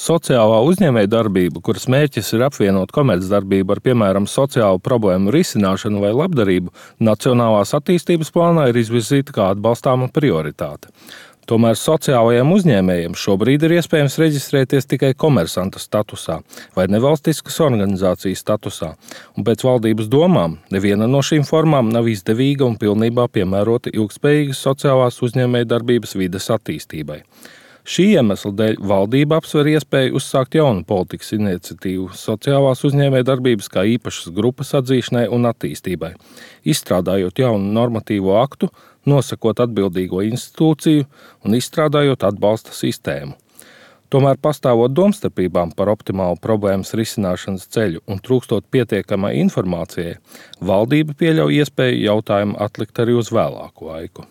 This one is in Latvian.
Sociālā uzņēmējdarbība, kuras mērķis ir apvienot komercdarbību ar, piemēram, sociālu problēmu risināšanu vai labdarību, Nacionālās attīstības plānā ir izvirzīta kā atbalstāma prioritāte. Tomēr sociālajiem uzņēmējiem šobrīd ir iespējams reģistrēties tikai komersanta statusā vai nevalstiskas organizācijas statusā, un pēc valdības domām neviena no šīm formām nav izdevīga un pilnībā piemērota ilgspējīgas sociālās uzņēmējdarbības vides attīstībai. Šī iemesla dēļ valdība apsver iespēju uzsākt jaunu politikas iniciatīvu sociālās uzņēmējdarbības kā īpašas grupas atzīšanai un attīstībai, izstrādājot jaunu normatīvo aktu, nosakot atbildīgo institūciju un izstrādājot atbalsta sistēmu. Tomēr pastāvot domstarpībām par optimālu problēmas risināšanas ceļu un trūkstot pietiekamai informācijai, valdība pieļauj iespēju jautājumu atlikt arī uz vēlāku laiku.